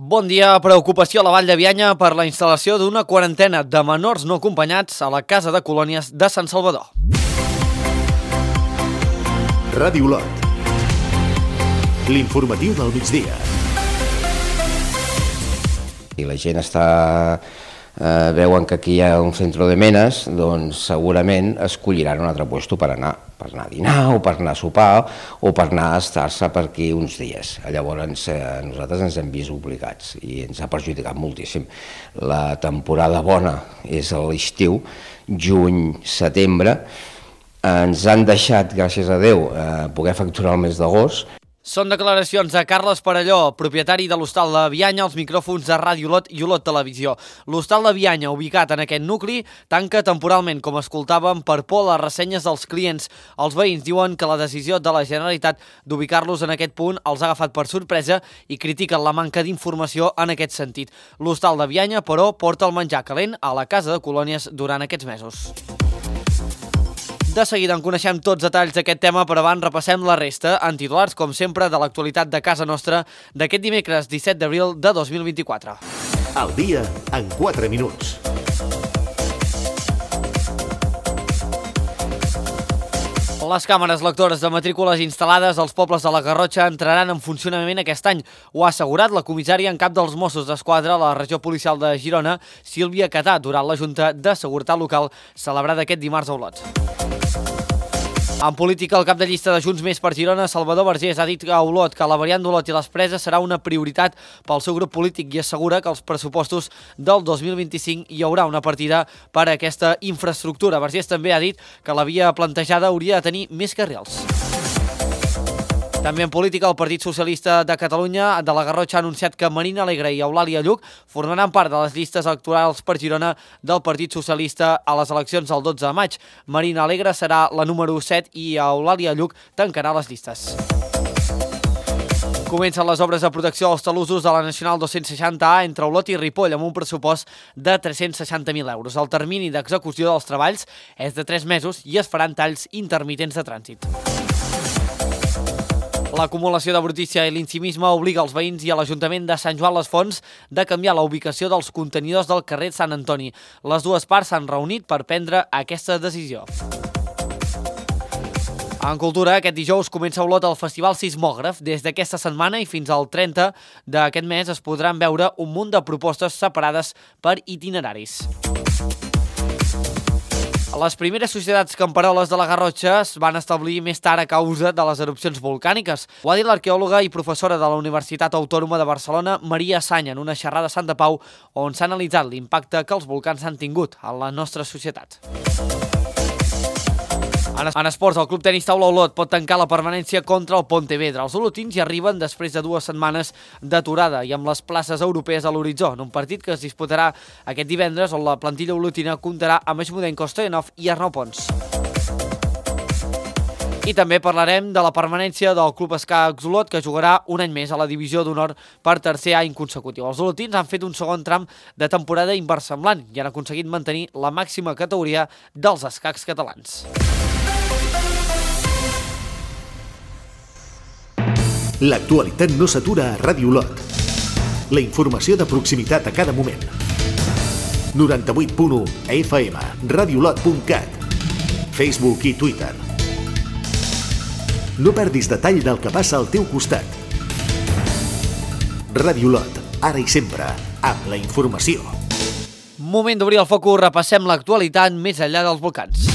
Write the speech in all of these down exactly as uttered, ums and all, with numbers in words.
Bon dia. Preocupació a la Vall de Bianya per la instal·lació d'una quarantena de menors no acompanyats a la Casa de Colònies de Sant Salvador. Ràdio Olot. L'informatiu del migdia. Si la gent està, eh, veuen que aquí hi ha un centre de menes, doncs segurament escolliran un altre lloc per anar, per anar a dinar o per anar a sopar o per anar a estar-se per aquí uns dies. Llavors eh, nosaltres ens hem vist obligats i ens ha perjudicat moltíssim. La temporada bona és a l'estiu, juny, setembre. Ens han deixat, gràcies a Déu, eh, poder facturar el mes d'agost. Són declaracions de Carles Parelló, propietari de l'Hostal de Bianya, als micròfons de Ràdio Olot i Olot Televisió. L'Hostal de Bianya, ubicat en aquest nucli, tanca temporalment, com escoltàvem, per por a les ressenyes dels clients. Els veïns diuen que la decisió de la Generalitat d'ubicar-los en aquest punt els ha agafat per sorpresa i critiquen la manca d'informació en aquest sentit. L'Hostal de Bianya, però, porta el menjar calent a la Casa de Colònies durant aquests mesos. De seguida en coneixem tots detalls d'aquest tema, però abans repassem la resta en titulars, com sempre, de l'actualitat de casa nostra d'aquest dimecres disset d'abril de dos mil vint-i-quatre. El dia en quatre minuts. Les càmeres lectores de matrícules instal·lades als pobles de la Garrotxa entraran en funcionament aquest any. Ho ha assegurat la comissària en cap dels Mossos d'Esquadra a la regió policial de Girona, Sílvia Catà, durant la Junta de Seguretat Local celebrada aquest dimarts a Olot. En política, el cap de llista de Junts Més per Girona, Salvador Vergés, ha dit a Olot que la variant d'Olot i les Preses serà una prioritat pel seu grup polític i assegura que als pressupostos del dos mil vint-i-cinc hi haurà una partida per a aquesta infraestructura. Vergés també ha dit que la via plantejada hauria de tenir més carrils. També en política, el Partit Socialista de Catalunya de la Garrotxa ha anunciat que Marina Alegre i Eulàlia Lluc formaran part de les llistes electorals per Girona del Partit Socialista a les eleccions del dotze de maig. Marina Alegre serà la número set i Eulàlia Lluc tancarà les llistes. Comencen les obres de protecció als talussos de la Nacional dos-cents seixanta A entre Olot i Ripoll amb un pressupost de tres-cents seixanta mil euros. El termini d'execució dels treballs és de tres mesos i es faran talls intermitents de trànsit. L'acumulació de brutícia i l'incimisme obliga els veïns i a l'Ajuntament de Sant Joan les Fonts de canviar la ubicació dels contenidors del carrer Sant Antoni. Les dues parts s'han reunit per prendre aquesta decisió. En cultura, aquest dijous comença a Olot el Festival Sismògraf. Des d'aquesta setmana i fins al trenta d'aquest mes es podran veure un munt de propostes separades per itineraris. Les primeres societats camperoles de la Garrotxa es van establir més tard a causa de les erupcions volcàniques. Ho ha dit l'arqueòloga i professora de la Universitat Autònoma de Barcelona, Maria Sanya, en una xerrada a Sant Pau, on s'ha analitzat l'impacte que els volcans han tingut a la nostra societat. En esports, el Club Tenis Taula Olot pot tancar la permanència contra el Pontevedra. Els olotins hi arriben després de dues setmanes d'aturada i amb les places europees a l'horitzó, en un partit que es disputarà aquest divendres on la plantilla olotina comptarà amb Eixmudenko, Stoyanov i Arnau Pons. I també parlarem de la permanència del Club Escacs Olot, que jugarà un any més a la divisió d'honor per tercer any consecutiu. Els olotins han fet un segon tram de temporada inversemblant i han aconseguit mantenir la màxima categoria dels escacs catalans. L'actualitat no s'atura a Ràdio Olot. La informació de proximitat a cada moment. noranta-vuit punt u F M, radiolot punt cat, Facebook i Twitter. No perdis detall del que passa al teu costat. Ràdio Olot, ara i sempre, amb la informació. Moment d'obrir el focus, repassem l'actualitat més enllà dels volcans.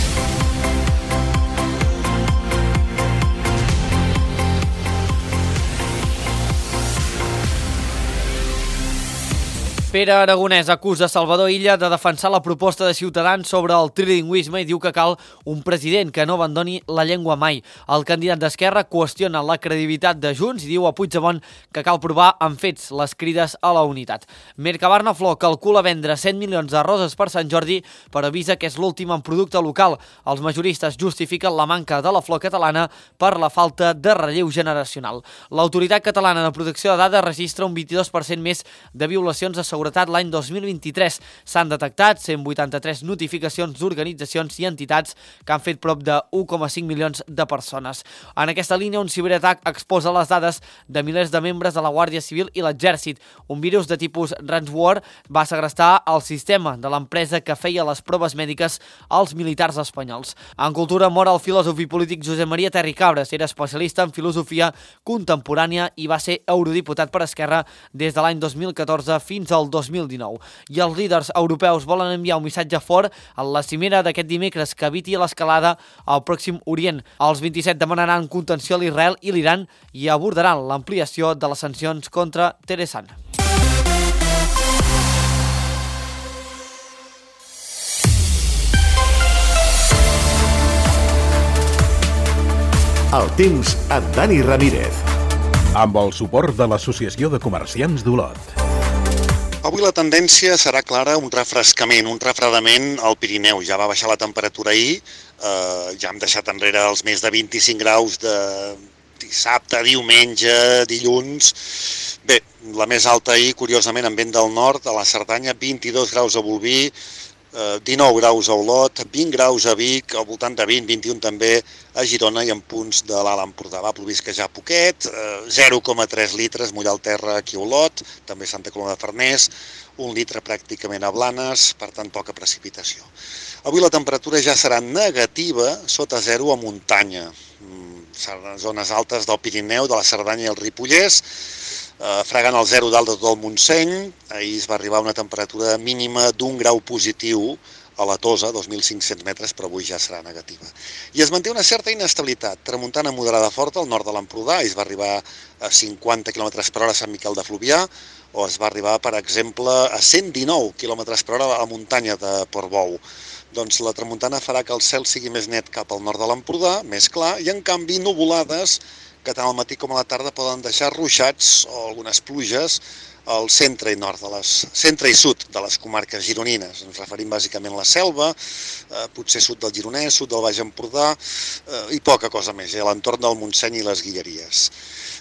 Pere Aragonès acusa Salvador Illa de defensar la proposta de Ciutadans sobre el trilingüisme i diu que cal un president que no abandoni la llengua mai. El candidat d'Esquerra qüestiona la credibilitat de Junts i diu a Puigdemont que cal provar amb fets les crides a la unitat. Mercabarna Flor calcula vendre cent milions de roses per Sant Jordi, però avisa que és l'últim en producte local. Els majoristes justifiquen la manca de la flor catalana per la falta de relleu generacional. L'Autoritat Catalana de Protecció de Dades registra un vint-i-dos per cent més de violacions a seguretat seguretat l'any dos mil vint-i-tres. S'han detectat cent vuitanta-tres notificacions d'organitzacions i entitats que han fet prop de u coma cinc milions de persones. En aquesta línia, un ciberatac exposa les dades de milers de membres de la Guàrdia Civil i l'Exèrcit. Un virus de tipus ransomware va segrestar el sistema de l'empresa que feia les proves mèdiques als militars espanyols. En cultura mor el filòsof i polític Josep Maria Terri Cabres. Era especialista en filosofia contemporània i va ser eurodiputat per Esquerra des de l'any dos mil catorze fins al dos mil dinou. I els líders europeus volen enviar un missatge fort a la cimera d'aquest dimecres que eviti l'escalada al Pròxim Orient. Els vint-i-set demanaran contenció a l'Israel i l'Iran i abordaran l'ampliació de les sancions contra Teheran. El temps amb Dani Ramírez. Amb el suport de l'Associació de Comerciants d'Olot. Avui la tendència serà clara, un refrescament, un refredament al Pirineu. Ja va baixar la temperatura ahir, eh, ja hem deixat enrere els més de vint-i-cinc graus de dissabte, diumenge, dilluns. Bé, la més alta ahir, curiosament, en vent del nord, a la Cerdanya, vint-i-dos graus a Bolvir, dinou graus a Olot, vint graus a Vic, al voltant de vint, vint i un també a Girona i en punts de l'Alt Empordà. Va plovisquejar poquet, zero coma tres litres, mullar el terra aquí a Olot, també Santa Coloma de Farners, un litre pràcticament a Blanes, per tant poca precipitació. Avui la temperatura ja serà negativa, sota zero a muntanya. Zones altes del Pirineu, de la Cerdanya i el Ripollès, Uh, fregant el zero dalt de tot el Montseny. Ahir es va arribar a una temperatura mínima d'un grau positiu a la Tosa, dos mil cinc-cents metres, però avui ja serà negativa. I es manté una certa inestabilitat, tramuntana moderada forta al nord de l'Empordà, es va arribar a cinquanta quilòmetres per hora a Sant Miquel de Fluvià, o es va arribar, per exemple, a cent dinou quilòmetres per hora a la muntanya de Portbou. Doncs la tramuntana farà que el cel sigui més net cap al nord de l'Empordà, més clar, i en canvi nuvolades que tant al matí com a la tarda poden deixar ruixats o algunes pluges al centre i nord de les, centre i sud de les comarques gironines. Ens referim bàsicament a la Selva, eh, potser sud del Gironès, sud del Baix Empordà eh, i poca cosa més, eh, a l'entorn del Montseny i les Guilleries.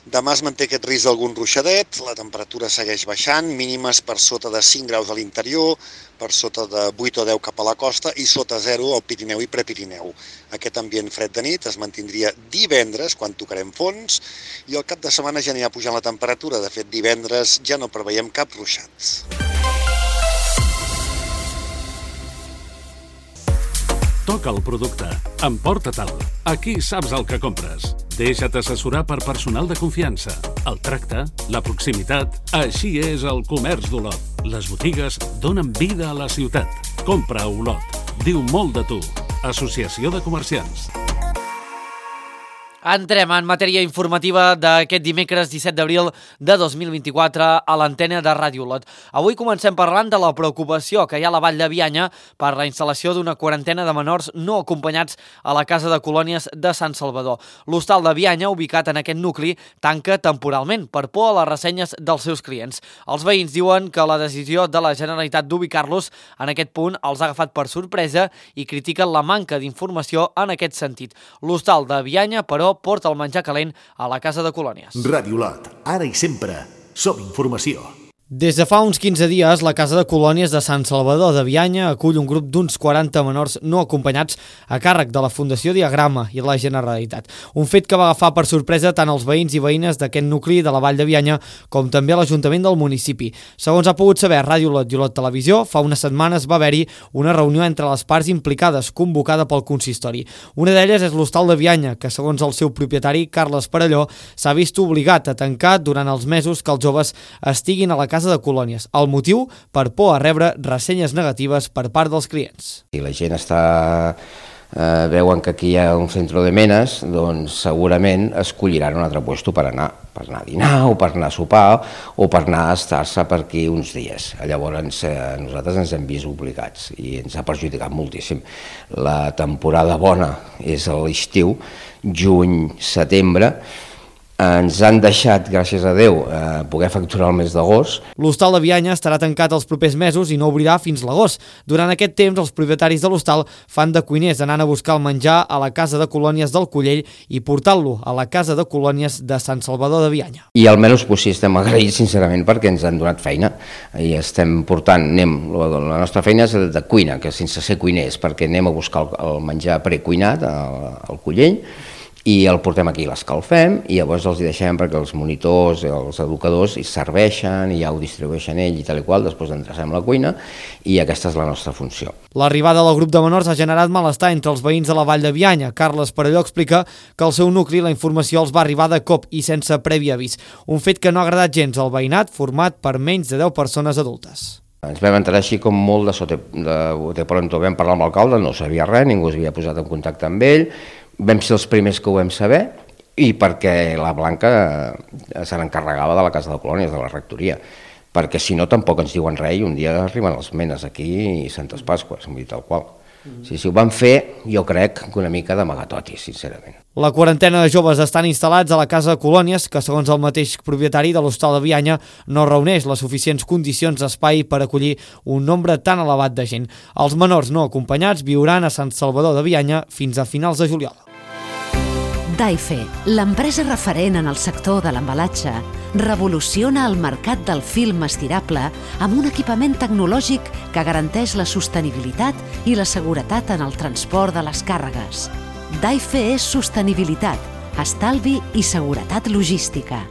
Demà es manté aquest risc d'algun ruixadet, la temperatura segueix baixant, mínimes per sota de cinc graus a l'interior, per sota de vuit o deu cap a la costa i sota zero al Pirineu i Prepirineu. Aquest ambient fred de nit es mantindria divendres, quan tocarem fons, i al cap de setmana ja anirà pujant la temperatura. De fet, divendres ja no preveiem cap ruixat. Toca el producte. Emporta-te'l. Aquí saps el que compres. Deixa't assessorar per personal de confiança. El tracte, la proximitat... Així és el comerç d'Olot. Les botigues donen vida a la ciutat. Compra a Olot. Diu molt de tu. Associació de Comerciants. Entrem en matèria informativa d'aquest dimecres disset d'abril de dos mil vint-i-quatre a l'antena de Ràdio Olot. Avui comencem parlant de la preocupació que hi ha a la Vall de Bianya per la instal·lació d'una quarantena de menors no acompanyats a la Casa de Colònies de Sant Salvador. L'hostal de Bianya, ubicat en aquest nucli, tanca temporalment per por a les ressenyes dels seus clients. Els veïns diuen que la decisió de la Generalitat d'ubicar-los en aquest punt els ha agafat per sorpresa i critiquen la manca d'informació en aquest sentit. L'hostal de Bianya, però, porta el menjar calent a la Casa de Colònies. Ràdio Olot, ara i sempre, som informació. Des de fa uns quinze dies, la Casa de Colònies de Sant Salvador de Bianya acull un grup d'uns quaranta menors no acompanyats a càrrec de la Fundació Diagrama i la Generalitat. Un fet que va agafar per sorpresa tant els veïns i veïnes d'aquest nucli de la Vall de Bianya com també l'Ajuntament del municipi. Segons ha pogut saber Ràdio Olot i Olot Televisió, fa unes setmanes va haver-hi una reunió entre les parts implicades convocada pel consistori. Una d'elles és l'Hostal de Bianya, que segons el seu propietari, Carles Parelló, s'ha vist obligat a tancar durant els mesos que els joves estiguin a la Casa de Colònies. El motiu, per por a rebre ressenyes negatives per part dels clients. Si la gent està, eh, veuen que aquí hi ha un centre de menes, doncs segurament escolliran un altre lloc per anar, per anar a dinar o per anar a sopar o per anar a estar-se per aquí uns dies. Llavors eh, nosaltres ens hem vist obligats i ens ha perjudicat moltíssim. La temporada bona és a l'estiu, juny, setembre, ens han deixat, gràcies a Déu, eh, poder facturar el mes d'agost. L'hostal de Bianya estarà tancat els propers mesos i no obrirà fins l'agost. Durant aquest temps, els propietaris de l'hostal fan de cuiners, anant a buscar el menjar a la Casa de Colònies del Collell i portant-lo a la Casa de Colònies de Sant Salvador de Bianya. I al menys pues, sí, estem agraïts, sincerament, perquè ens han donat feina. I estem portant, anem, la nostra feina és de cuina, que sense ser cuiners, perquè anem a buscar el, el menjar precuinat al, al Collell, i el portem aquí, l'escalfem i llavors els hi deixem perquè els monitors, els educadors hi serveixen i ja ho distribueixen ell i tal i qual, després endrecem la cuina i aquesta és la nostra funció. L'arribada del grup de menors ha generat malestar entre els veïns de la Vall de Bianya. Carles Perelló explica que al seu nucli la informació els va arribar de cop i sense previ avís, un fet que no ha agradat gens al veïnat format per menys de deu persones adultes. Ens vam enterar així com molt de sote, de, de pronto, vam parlar amb l'alcalde, no sabia res, ningú s'havia posat en contacte amb ell. Vam ser els primers que ho vam saber i perquè la Blanca se n'encarregava de la Casa de Colònies, de la rectoria, perquè si no tampoc ens diuen res i un dia arriben els menes aquí i Santes Pasques, vull dir tal qual. Si, si ho van fer, jo crec que una mica d'amagatoti, sincerament. La quarantena de joves estan instal·lats a la Casa de Colònies, que segons el mateix propietari de l'hostal de Bianya no reuneix les suficients condicions d'espai per acollir un nombre tan elevat de gent. Els menors no acompanyats viuran a Sant Salvador de Bianya fins a finals de juliol. Daife, l'empresa referent en el sector de l'embalatge, revoluciona el mercat del film estirable amb un equipament tecnològic que garanteix la sostenibilitat i la seguretat en el transport de les càrregues. Daife és sostenibilitat, estalvi i seguretat logística.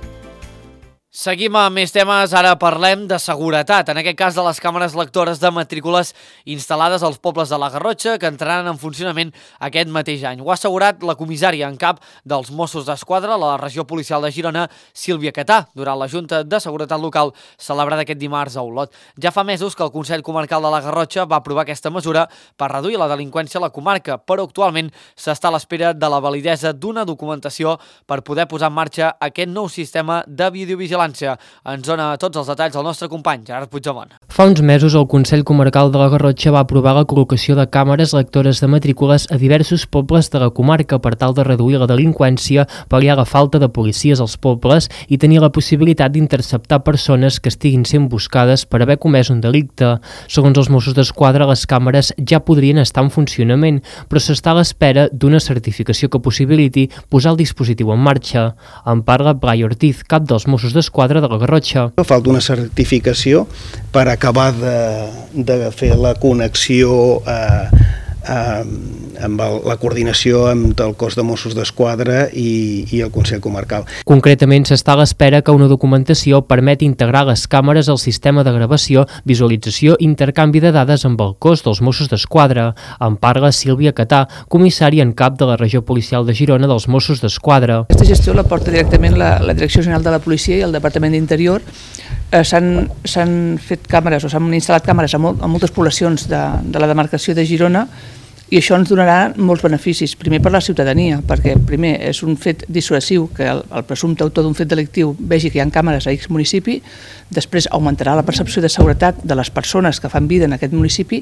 Seguim amb més temes, ara parlem de seguretat, en aquest cas de les càmeres lectores de matrícules instal·lades als pobles de la Garrotxa que entraran en funcionament aquest mateix any. Ho ha assegurat la comissària en cap dels Mossos d'Esquadra a la regió policial de Girona, Sílvia Catà, durant la Junta de Seguretat Local celebrada aquest dimarts a Olot. Ja fa mesos que el Consell Comarcal de la Garrotxa va aprovar aquesta mesura per reduir la delinqüència a la comarca, però actualment s'està a l'espera de la validesa d'una documentació per poder posar en marxa aquest nou sistema de videovigilància. Ens dona tots els detalls el nostre company, Gerard Puigdemont. Fa uns mesos el Consell Comarcal de la Garrotxa va aprovar la col·locació de càmeres lectores de matrícules a diversos pobles de la comarca per tal de reduir la delinqüència, pal·liar la falta de policies als pobles i tenir la possibilitat d'interceptar persones que estiguin sent buscades per haver comès un delicte. Segons els Mossos d'Esquadra, les càmeres ja podrien estar en funcionament, però s'està a l'espera d'una certificació que possibiliti posar el dispositiu en marxa. En parla Blai Ortiz, cap dels Mossos d'Esquadra de la Garrotxa. Falta una certificació per acabar de, de fer la connexió eh, eh, amb el, la coordinació amb el cos de Mossos d'Esquadra i, i el Consell Comarcal. Concretament, s'està a l'espera que una documentació permeti integrar les càmeres al sistema de gravació, visualització i intercanvi de dades amb el cos dels Mossos d'Esquadra. En parla Sílvia Catà, comissària en cap de la regió policial de Girona dels Mossos d'Esquadra. Aquesta gestió la porta directament la, la Direcció General de la Policia i el Departament d'Interior. Eh, s'han fet càmeres o s'han instal·lat càmeres a, molt, a moltes poblacions de, de la demarcació de Girona i això ens donarà molts beneficis. Primer per la ciutadania, perquè primer és un fet dissuasiu que el, el presumpte autor d'un fet delictiu vegi que hi ha càmeres a X municipi, després augmentarà la percepció de seguretat de les persones que fan vida en aquest municipi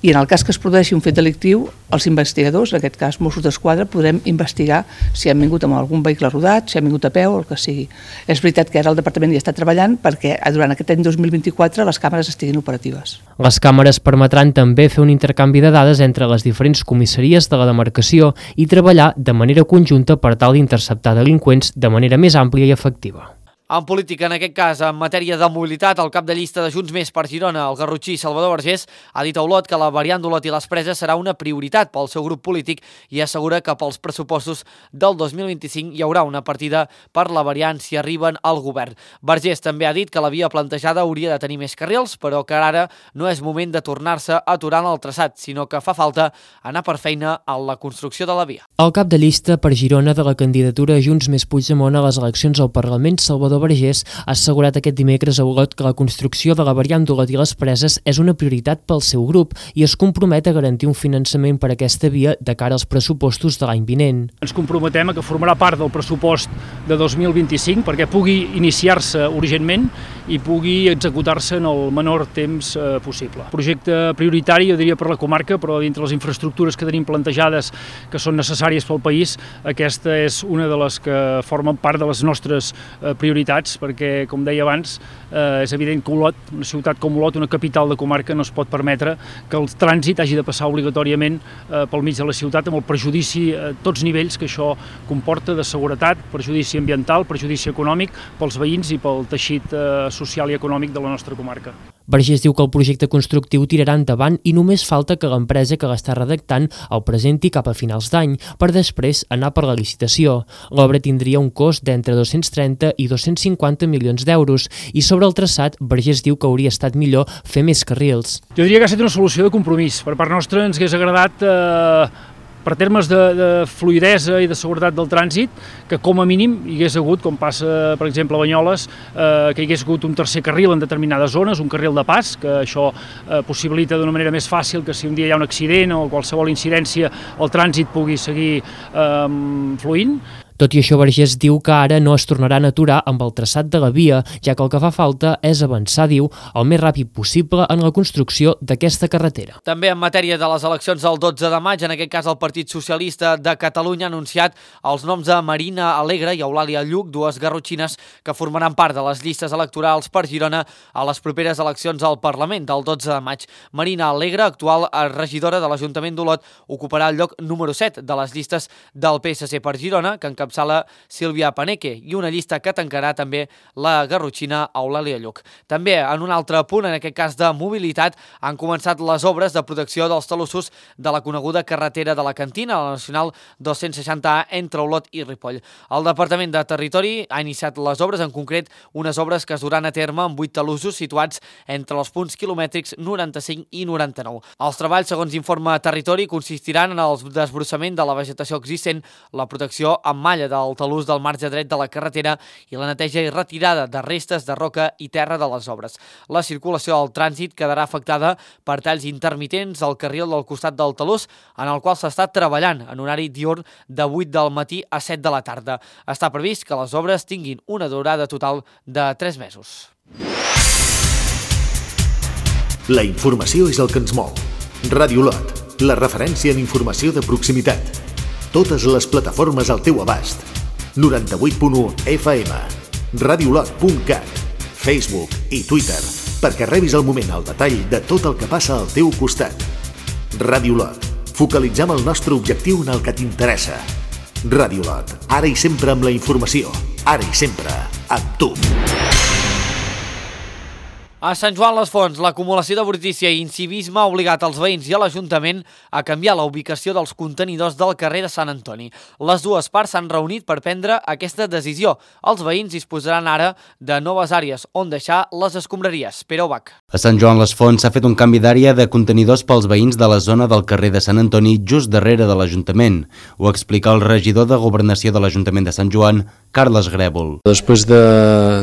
i en el cas que es produeixi un fet delictiu, els investigadors, en aquest cas Mossos d'Esquadra, podrem investigar si han vingut amb algun vehicle rodat, si han vingut a peu o el que sigui. És veritat que ara el Departament hi està treballant perquè durant aquest any dos mil vint-i-quatre les càmeres estiguin operatives. Les càmeres permetran també fer un intercanvi de dades entre les diferents comissaries de la demarcació i treballar de manera conjunta per tal d'interceptar delinqüents de manera més àmplia i efectiva. En política, en aquest cas, en matèria de mobilitat, el cap de llista de Junts Més per Girona, el garrotxí Salvador Vergés, ha dit a Olot que la variant d'Olot i les Preses serà una prioritat pel seu grup polític i assegura que pels pressupostos del dos mil vint-i-cinc hi haurà una partida per la variant si arriben al govern. Vergés també ha dit que la via plantejada hauria de tenir més carrils, però que ara no és moment de tornar-se a aturar en el traçat, sinó que fa falta anar per feina a la construcció de la via. El cap de llista per Girona de la candidatura Junts Més Puigdemont a les eleccions al Parlament, Salvador l'alcalde Vergés ha assegurat aquest dimecres a Olot que la construcció de la variant d'Olot i les Preses és una prioritat pel seu grup i es compromet a garantir un finançament per a aquesta via de cara als pressupostos de l'any vinent. Ens comprometem a que formarà part del pressupost de dos mil vint-i-cinc perquè pugui iniciar-se urgentment i pugui executar-se en el menor temps eh, possible. Projecte prioritari, jo diria, per la comarca, però dintre les infraestructures que tenim plantejades que són necessàries pel país, aquesta és una de les que formen part de les nostres eh, prioritats, perquè, com deia abans, eh, és evident que Olot, una ciutat com Olot, una capital de comarca, no es pot permetre que el trànsit hagi de passar obligatòriament eh, pel mig de la ciutat, amb el perjudici a tots nivells que això comporta de seguretat, perjudici ambiental, perjudici econòmic pels veïns i pel teixit eh, social i econòmic de la nostra comarca. Vergés diu que el projecte constructiu tirarà endavant i només falta que l'empresa que l'està redactant el presenti cap a finals d'any, per després anar per la licitació. L'obra tindria un cost d'entre dos-cents trenta i dos-cents cinquanta milions d'euros i sobre el traçat, Vergés diu que hauria estat millor fer més carrils. Jo diria que ha estat una solució de compromís. Per part nostra ens hagués agradat eh, per termes de, de fluidesa i de seguretat del trànsit, que com a mínim hi hagués hagut, com passa per exemple a Banyoles, eh, que hi hagués hagut un tercer carril en determinades zones, un carril de pas, que això eh, possibilita d'una manera més fàcil que si un dia hi ha un accident o qualsevol incidència el trànsit pugui seguir eh, fluint. Tot i això, Vergés diu que ara no es tornaran a aturar amb el traçat de la via, ja que el que fa falta és avançar, diu, el més ràpid possible en la construcció d'aquesta carretera. També en matèria de les eleccions del dotze de maig, en aquest cas el Partit Socialista de Catalunya ha anunciat els noms de Marina Alegre i Eulàlia Lluc, dues garrotxines que formaran part de les llistes electorals per Girona a les properes eleccions al Parlament del dotze de maig. Marina Alegre, actual regidora de l'Ajuntament d'Olot, ocuparà el lloc número set de les llistes del P S C per Girona, que encapçala Sílvia Paneque, i una llista que tancarà també la garrotxina Eulàlia Lluc. També, en un altre punt, en aquest cas de mobilitat, han començat les obres de protecció dels talussos de la coneguda carretera de la Cantina, la Nacional dos-cents seixanta A, entre Olot i Ripoll. El Departament de Territori ha iniciat les obres, en concret unes obres que es duran a terme amb vuit talussos situats entre els punts quilomètrics noranta-cinc i noranta-nou. Els treballs, segons informa Territori, consistiran en el desbrossament de la vegetació existent, la protecció amb malla del talús del marge dret de la carretera i la neteja i retirada de restes de roca i terra de les obres. La circulació del trànsit quedarà afectada per talls intermitents al carril del costat del talús, en el qual s'està treballant en horari diürn de vuit del matí a set de la tarda. Està previst que les obres tinguin una durada total de tres mesos. La informació és el que ens mou. Ràdio Olot, la referència en informació de proximitat. Totes les plataformes al teu abast. noranta-vuit punt u F M, radiolot punt cat, Facebook i Twitter, perquè rebis al moment el detall de tot el que passa al teu costat. Ràdio Olot, focalitzem el nostre objectiu en el que t'interessa. Ràdio Olot, ara i sempre amb la informació, ara i sempre amb tu. A Sant Joan les Fonts, l'acumulació de brutícia i incivisme ha obligat els veïns i a l'Ajuntament a canviar la ubicació dels contenidors del carrer de Sant Antoni. Les dues parts s'han reunit per prendre aquesta decisió. Els veïns disposaran ara de noves àrees on deixar les escombraries. Pere Ubach. A Sant Joan les Fonts s'ha fet un canvi d'àrea de contenidors pels veïns de la zona del carrer de Sant Antoni just darrere de l'Ajuntament. Ho explica el regidor de Governació de l'Ajuntament de Sant Joan, Carles Grèvol. Després de,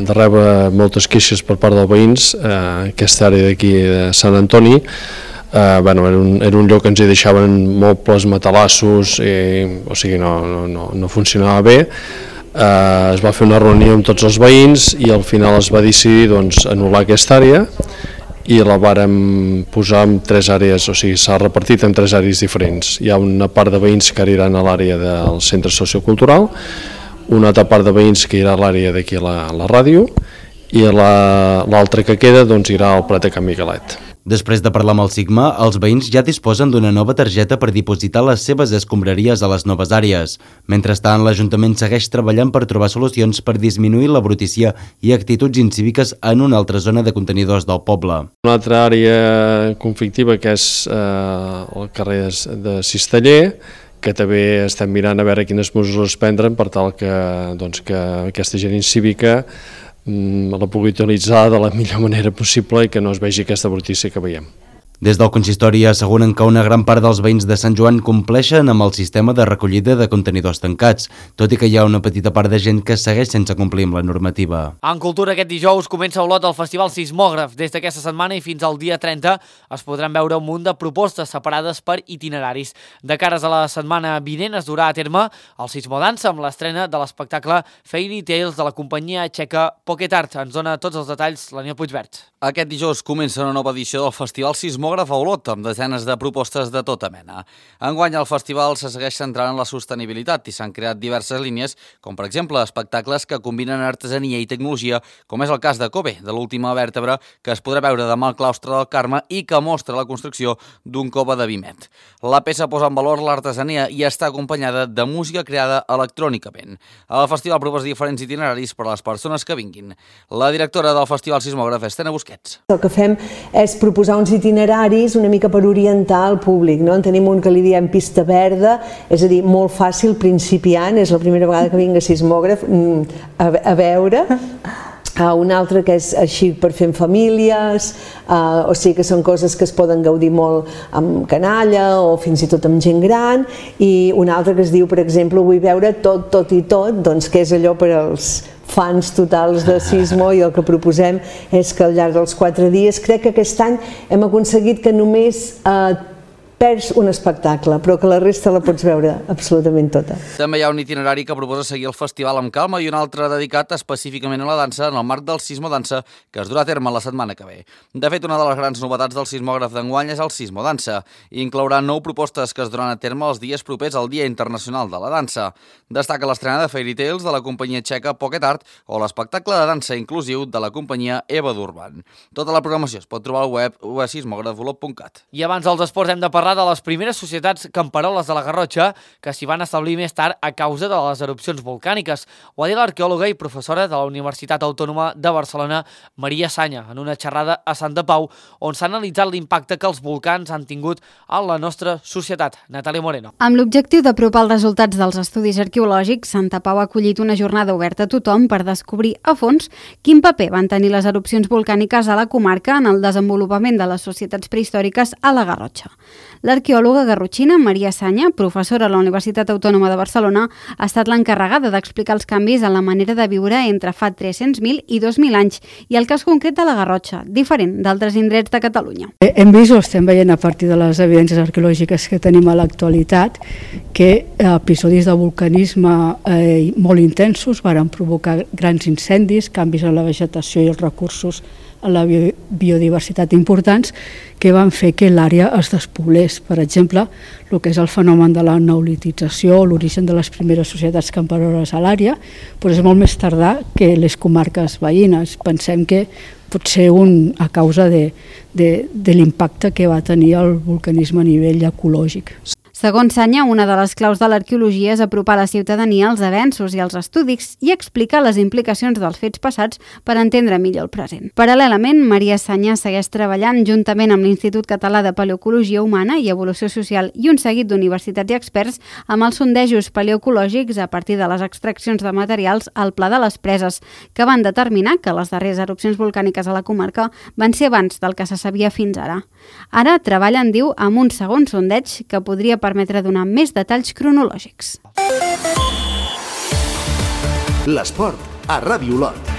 de rebre moltes queixes per part dels veïns, eh, aquesta àrea d'aquí de Sant Antoni, eh, bueno, era, un, era un lloc que ens hi deixaven mobles, matalassos, i, o sigui, no, no, no, no funcionava bé. Eh, es va fer una reunió amb tots els veïns i al final es va decidir doncs, anul·lar aquesta àrea i la vàrem posar en tres àrees, o sigui, s'ha repartit en tres àrees diferents. Hi ha una part de veïns que aniran a l'àrea del centre sociocultural, una altra part de veïns que irà a l'àrea d'aquí a la, la ràdio i l'altra la, que queda doncs, irà al Prat de Can Miguelet. Després de parlar amb el Sigma, els veïns ja disposen d'una nova targeta per dipositar les seves escombraries a les noves àrees. Mentrestant, l'Ajuntament segueix treballant per trobar solucions per disminuir la brutícia i actituds incíviques en una altra zona de contenidors del poble. Una altra àrea conflictiva que és eh, el carrer de Cisteller, que també estem mirant a veure quines mesures prendren per tal que, doncs, que aquesta gent incívica la pugui utilitzar de la millor manera possible i que no es vegi aquesta brutícia que veiem. Des del consistori asseguren que una gran part dels veïns de Sant Joan compleixen amb el sistema de recollida de contenidors tancats, tot i que hi ha una petita part de gent que segueix sense complir amb la normativa. En cultura, aquest dijous comença a Olot el Festival Sismògraf. Des d'aquesta setmana i fins al dia trenta es podran veure un munt de propostes separades per itineraris. De cares a la setmana vinent es durà a terme el Sismodansa amb l'estrena de l'espectacle Fairy Tales de la companyia txeca Pocket Art. Ens dona tots els detalls l'Aniol Puigvert. Aquest dijous comença una nova edició del Festival Sismògraf a Olot, amb desenes de propostes de tota mena. Enguany el festival se segueix centrant en la sostenibilitat i s'han creat diverses línies, com per exemple espectacles que combinen artesania i tecnologia, com és el cas de Kobe, de l'última vèrtebra, que es podrà veure demà al claustre del Carme i que mostra la construcció d'un cove de Vimet. La peça posa en valor l'artesania i està acompanyada de música creada electrònicament. El festival proposa diferents itineraris per a les persones que vinguin. La directora del Festival Sismògraf, Estena Busquets. El que fem és proposar uns itineraris una mica per orientar el públic, no? En tenim un que li diem pista verda, és a dir, molt fàcil, principiant, és la primera vegada que vinc a Sismògraf a, a veure. Uh, un altre que és així per fer amb famílies, uh, o sigui que són coses que es poden gaudir molt amb canalla o fins i tot amb gent gran, i un altre que es diu, per exemple, vull veure tot, tot i tot, doncs que és allò per als fans totals de Sismo, i el que proposem és que al llarg dels quatre dies, crec que aquest any hem aconseguit que només eh, perds un espectacle, però que la resta la pots veure absolutament tota. També hi ha un itinerari que proposa seguir el festival amb calma i un altre dedicat específicament a la dansa en el marc del Sismodansa, que es durà a terme la setmana que ve. De fet, una de les grans novetats del sismògraf d'enguany és el Sismodansa, i inclourà nou propostes que es duran a terme els dies propers al Dia Internacional de la Dansa. Destaca l'estrena de Fairy Tales de la companyia txeca Pocket Art o l'espectacle de dansa inclusiu de la companyia Eva d'Urban. Tota la programació es pot trobar al web a sismògraf olot punt cat. I abans dels esports hem de parlar de les primeres societats camperoles de la Garrotxa que s'hi van establir més tard a causa de les erupcions volcàniques. Ho ha dit l'arqueòloga i professora de la Universitat Autònoma de Barcelona, Maria Sanya, en una xerrada a Santa Pau, on s'ha analitzat l'impacte que els volcans han tingut a la nostra societat. Natàlia Moreno. Amb l'objectiu d'apropar els resultats dels estudis arqueològics, Santa Pau ha acollit una jornada oberta a tothom per descobrir a fons quin paper van tenir les erupcions volcàniques a la comarca en el desenvolupament de les societats prehistòriques a la Garrotxa. L'arqueòloga garrotxina Maria Sanya, professora a la Universitat Autònoma de Barcelona, ha estat l'encarregada d'explicar els canvis en la manera de viure entre fa tres-cents mil i dos mil anys i el cas concret de la Garrotxa, diferent d'altres indrets de Catalunya. Hem vist, o estem veient a partir de les evidències arqueològiques que tenim a l'actualitat, que episodis de vulcanisme eh, molt intensos varen provocar grans incendis, canvis en la vegetació i els recursos a la biodiversitat importants que van fer que l'àrea es despoblés. Per exemple, el que és el fenomen de la neolitització, l'origen de les primeres societats camperoles a l'àrea, però és molt més tardà que les comarques veïnes. Pensem que pot ser un, a causa de, de, de l'impacte que va tenir el vulcanisme a nivell ecològic. Segons Sanya, una de les claus de l'arqueologia és apropar la ciutadania als avenços i als estudis i explicar les implicacions dels fets passats per entendre millor el present. Paral·lelament, Maria Sanya segueix treballant juntament amb l'Institut Català de Paleoecologia Humana i Evolució Social i un seguit d'universitats i experts amb els sondejos paleoecològics a partir de les extraccions de materials al Pla de les Preses, que van determinar que les darreres erupcions volcàniques a la comarca van ser abans del que se sabia fins ara. Ara treballen, diu, amb un segon sondeig que podria permetre donar més detalls cronològics. L'esport a Ràdio Olot.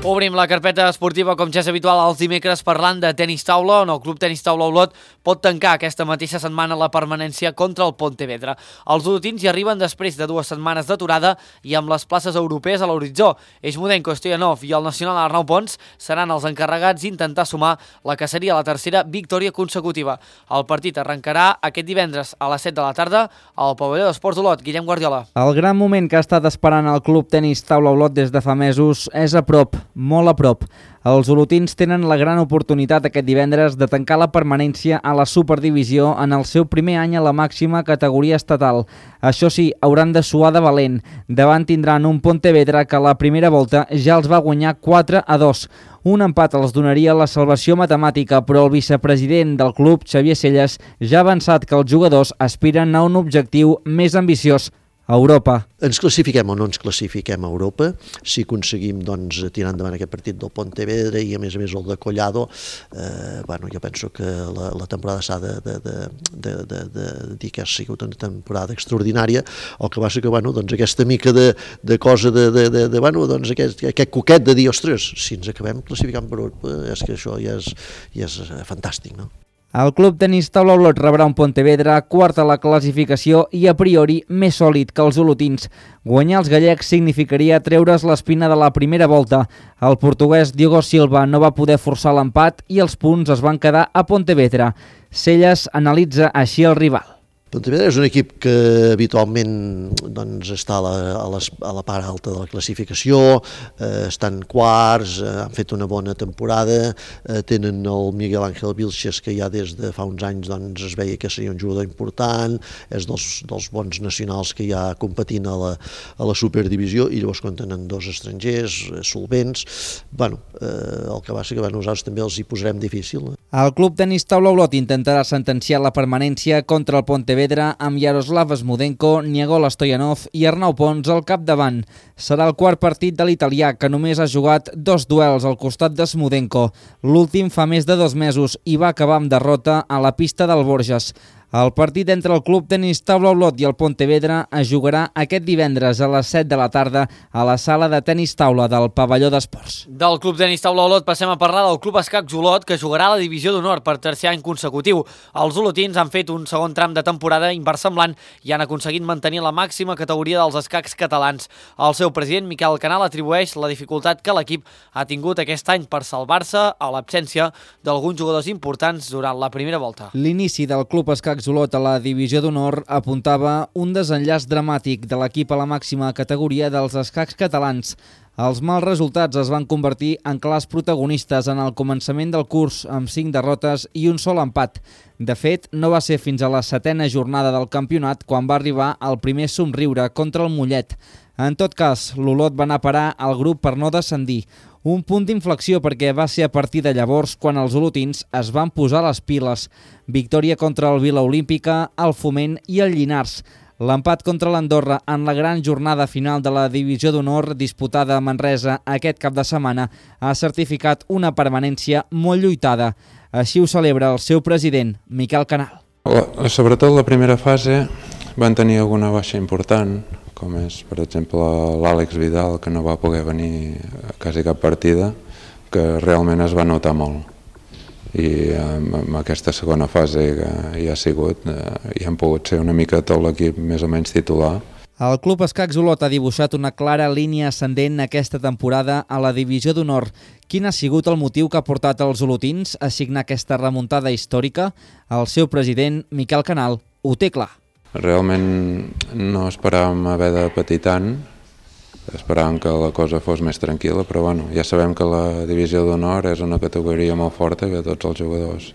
Obrim la carpeta esportiva, com ja és habitual, els dimecres parlant de tenis taula, on el Club Tenis Taula Olot pot tancar aquesta mateixa setmana la permanència contra el Pontevedra. Els olotins hi arriben després de dues setmanes d'aturada i amb les places europees a l'horitzó. Eixmudenko, Stoyanov i el nacional Arnau Pons seran els encarregats d'intentar sumar la que seria la tercera victòria consecutiva. El partit arrencarà aquest divendres a les set de la tarda al pavelló d'Esports Olot. Guillem Guardiola. El gran moment que ha estat esperant el Club Tenis Taula Olot des de fa mesos és a prop, molt a prop. Els olotins tenen la gran oportunitat aquest divendres de tancar la permanència a la Superdivisió en el seu primer any a la màxima categoria estatal. Això sí, hauran de suar de valent. Davant tindran un Pontevedra que a la primera volta ja els va guanyar quatre a dos. Un empat els donaria la salvació matemàtica, però el vicepresident del club, Xavier Selles, ja ha avançat que els jugadors aspiren a un objectiu més ambiciós: a Europa. Ens classifiquem o no ens classifiquem a Europa, si aconseguim doncs, tirar endavant aquest partit del Pontevedra i a més a més el de Collado, eh, bueno, jo penso que la, la temporada s'ha de, de, de, de, de, de dir que ha sigut una temporada extraordinària, el que va ser que bueno, doncs, aquesta mica de, de cosa de, de, de, de bueno, doncs, aquest, aquest coquet de dir, ostres, si ens acabem classificant per Europa, és que això ja és, ja és fantàstic, no? El Club Tenis Taula Olot rebrà un Pontevedra quart a la classificació i a priori més sòlid que els olotins. Guanyar els gallecs significaria treure's l'espina de la primera volta. El portuguès Diogo Silva no va poder forçar l'empat i els punts es van quedar a Pontevedra. Celles analitza així el rival. Pontevedra és un equip que habitualment doncs, està a la, a, les, a la part alta de la classificació, eh, estan quarts, eh, han fet una bona temporada, eh, tenen el Miguel Ángel Vilches, que ja des de fa uns anys doncs, es veia que seria un jugador important, és dels, dels bons nacionals que ja competint a la, a la superdivisió, i llavors quan tenen dos estrangers solvents, bueno, eh, el que va ser que bueno, nosaltres també els hi posarem difícil. El Club Tenis Taula Olot intentarà sentenciar la permanència contra el Pontevedra amb Yaroslav Smudenko, Niegol Stoyanov i Arnau Pons al capdavant. Serà el quart partit de l'italià, que només ha jugat dos duels al costat de Smudenko. L'últim fa més de dos mesos i va acabar amb derrota a la pista del Borges. El partit entre el Club Tenis Taula Olot i el Pontevedra es jugarà aquest divendres a les set de la tarda a la sala de tenis taula del pavelló d'esports. Del Club Tenis Taula Olot passem a parlar del Club Escacs Olot, que jugarà a la divisió d'honor per tercer any consecutiu. Els olotins han fet un segon tram de temporada inversemblant i han aconseguit mantenir la màxima categoria dels escacs catalans. El seu president, Miquel Canal, atribueix la dificultat que l'equip ha tingut aquest any per salvar-se a l'absència d'alguns jugadors importants durant la primera volta. L'inici del Club Escacs Olot a la divisió d'honor apuntava un desenllaç dramàtic de l'equip a la màxima categoria dels escacs catalans. Els mals resultats es van convertir en clars protagonistes en el començament del curs, amb cinc derrotes i un sol empat. De fet, no va ser fins a la setena jornada del campionat quan va arribar el primer somriure contra el Mollet. En tot cas, l'Olot va anar a parar al grup per no descendir. Un punt d'inflexió perquè va ser a partir de llavors quan els olotins es van posar les piles. Victòria contra el Vila Olímpica, el Foment i el Llinars. L'empat contra l'Andorra en la gran jornada final de la divisió d'honor disputada a Manresa aquest cap de setmana ha certificat una permanència molt lluitada. Així ho celebra el seu president, Miquel Canal. La, sobretot la primera fase van tenir alguna baixa important, com és, per exemple, l'Àlex Vidal, que no va poder venir a quasi cap partida, que realment es va notar molt. I en aquesta segona fase que hi ha sigut, hi han pogut ser una mica tot l'equip més o menys titular. El Club Escacs Olot ha dibuixat una clara línia ascendent aquesta temporada a la divisió d'honor. Quin ha sigut el motiu que ha portat els olotins a signar aquesta remuntada històrica? El seu president, Miquel Canal, ho té clar. Realment no esperàvem haver de patir tant, esperàvem que la cosa fos més tranquil·la, però bueno, ja sabem que la divisió d'honor és una categoria molt forta, que tots els jugadors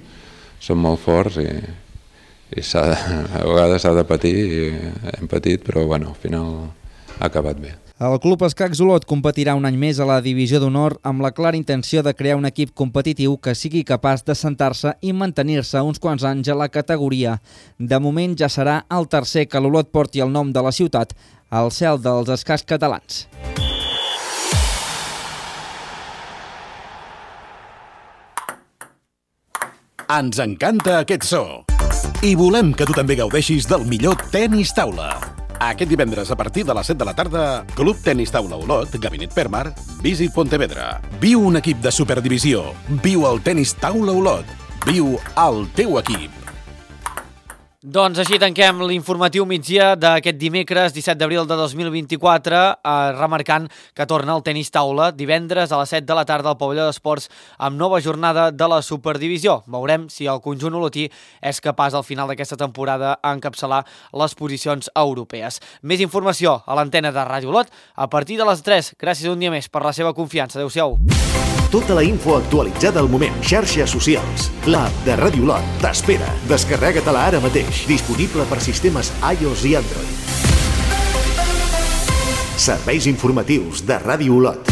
són molt forts i, i de, a vegades s'ha de patir, i hem patit, però bueno, al final ha acabat bé. El Club Escacs Olot competirà un any més a la divisió d'honor amb la clara intenció de crear un equip competitiu que sigui capaç de sentar-se i mantenir-se uns quants anys a la categoria. De moment ja serà el tercer que l'Olot porti el nom de la ciutat al cel dels escacs catalans. Ens encanta aquest so i volem que tu també gaudeixis del millor tenis taula. Aquest divendres a partir de les set de la tarda, Club Tenis Taula Olot, Gabinet Permar, Visit Pontevedra. Viu un equip de superdivisió. Viu el Tenis Taula Olot. Viu el teu equip. Doncs així tanquem l'informatiu migdia d'aquest dimecres disset d'abril de dos mil vint-i-quatre, eh, remarcant que torna el tenis taula divendres a les set de la tarda al pavelló d'esports amb nova jornada de la Superdivisió. Veurem si el conjunt olotí és capaç al final d'aquesta temporada a encapçalar les posicions europees. Més informació a l'antena de Ràdio Olot a partir de les tres. Gràcies un dia més per la seva confiança. Adéu-siau. Tota la info actualitzada al moment. Xarxes socials. L'app de Ràdio Olot t'espera. Descarrega-te-la ara mateix. Disponible per sistemes iOS i Android. Serveis informatius de Ràdio Olot.